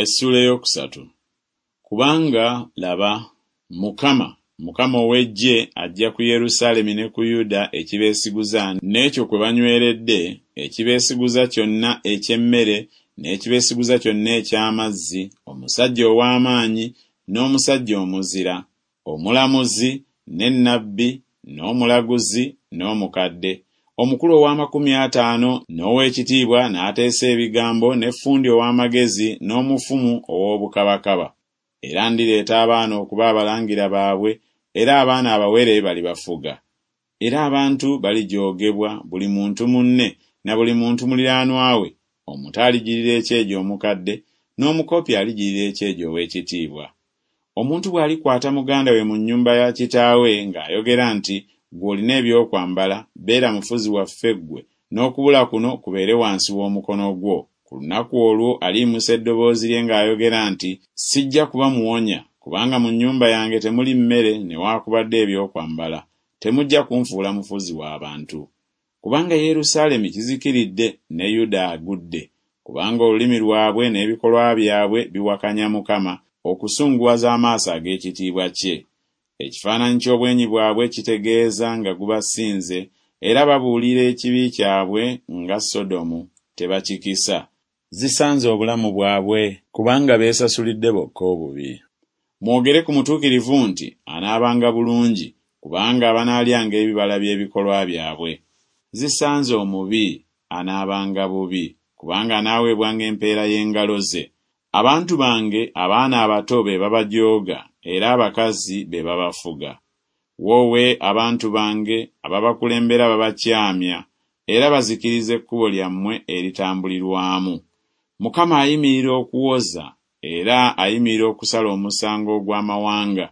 Essuula ey'okusatu. Kubanga, laba, Mukama, Mukama ow'eggye aggya ku Yerusaalemi ne ku Yuda ekibeesiguza n'ekyo kwe banyweredde, ekibeesiguza kyonna eky'emmere n'ekibeesiguza kyonna eky'amazzi, omusajja ow'amaanyi n'omusajja omuzira, omulamuzi ne nnabbi n'omulaguzi n'omukadde, omukulu ow'amakumi ataano n'ow'ekitiibwa n'ateesa ebigambo ne ffundi ow'amagezi n'omufumu ow'obukabakaba. Era ndireeta abaana okuba abalangira baabwe, era abaana abawere balibafuga. Era abantu balijoogebwa, buli muntu munne, na buli muntu muliraanwa we, omuto aligirira ekyejo omukadde, n'omukopi aligirira ekyejo ow'ekitiibwa. Omuntu bw'alikwata muganda we mu nnyumba ya kitaawe ng'ayogera nti Ggwe olina eby'okwambala, beera mufuzi waffe ggwe, n'okubula kuno kubeere wansi w'omukono gwo, ku lunaku olwo aliyimusa eddoboozi lye ng'ayogera nti Sijja kuba muwonya, kubanga mu nnyumba yange temuli mmere newakubadde eby'okwambala, temujja kunfuula mufuzi wa bantu. Kubanga Yerusaalemi kizikiridde ne Yuda agudde, kubanga olulimi lwabwe n'ebikolwa byabwe biwakanya Mukama, okusunguwaza amaaso ag'ekitiibwa kye. Ekifaananyi ky'obwenyi bwabwe kitegeeza nga gubasinze, era babuulira ekibi kyabwe nga Sodomu, tebakikisa. Zisanze obulamu bwabwe! Kubanga beesasulidde bokka obubi. Mwogere ku mutuukirivu nti Anaabanga bulungi, kubanga banaalyanga ebibala by'ebikolwa byabwe. Zisanze omubi! Anaabanga bubi, kubanga anaaweebwanga empeera y'engalo ze. Abantu bange abaana abato be babajooga, era abakazi be babafuga. Woowe abantu bange, ababakulembera babakyamya, era bazikiriza ekkubo lyammwe eritambulirwamu. Mukama ayimirira okuwoza, era ayimirira okusala omusango ogw'amawanga.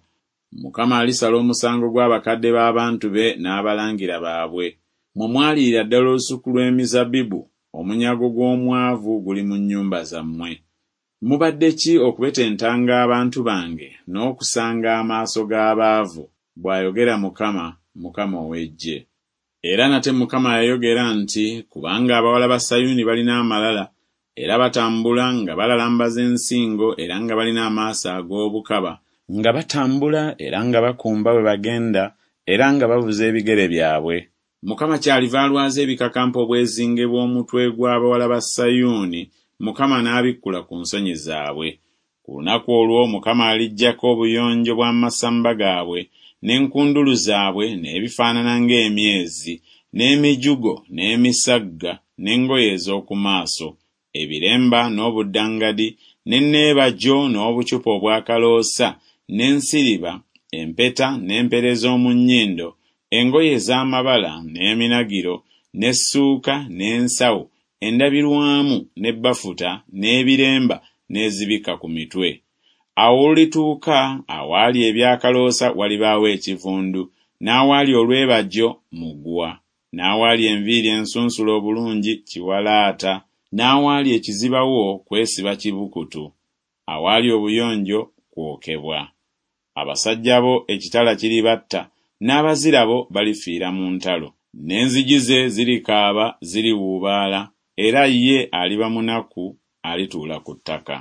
Mukama alisala omusango gw'abakadde b'abantu be n'abalangira baabwe. Mmwe mwaliira ddala olusuku lw'emizabbibu, omunyago gw'omwavu guli mu nnyumba zammwe. Mubadde ki okubetentanga abantu bange n'okusanga amaaso g'abaavu? bw'ayogera Mukama, Mukama ow'eggye. Era nate Mukama yayogera nti Kubanga abawala ba Sayuuni balina amalala, era batambula nga balalambaza ensingo era nga balina amaaso ag'obukaba, nga batambula era nga bakumba bwe bagenda era nga bavuza ebigere byabwe, Mukama kyaliva alwaza ebikakampa obwezinge bw'omutwe gw'abawala ba Sayuuni, Mukama n'abikkula ku nsonyi zaabwe. Ku lunaku olwo Mukama aliggyako obuyonjo bw'amasamba gaabwe, n'enkundulu zaabwe, n'ebifaanana ng'emyezi, n'emijugo, n'emisagga, n'engoye ez'oku maaso, ebiremba, n'obuddangadi, n'enneebagyo, n'obucupa obw'akaloosa, n'ensiriba, empeta, n'empera ez'omu nnyindo, engoye ez'amabala, n'eminagiro, n'essuuka, n'ensawo, endabirwamu, ne bafuta, n'ebiremba, n'ezibikka ku mitwe. Awo olulituuka, awaali eby'akaloosa walibaawo ekivundu, n'awaali olwebagyo mugwa, n'awaali enviiri ensunsule obulungi kiwalaata, n'awaali ekizibawo kwesiba kibukutu, awaali obuyonjo kwokebwa. Abasajja bo ekitala kiribatta, n'abazira bo balifiira mu ntalo. N'enzigi ze zirikaaba, ziriwuubaala, era ye aliba munaku, alituula ku ttaka.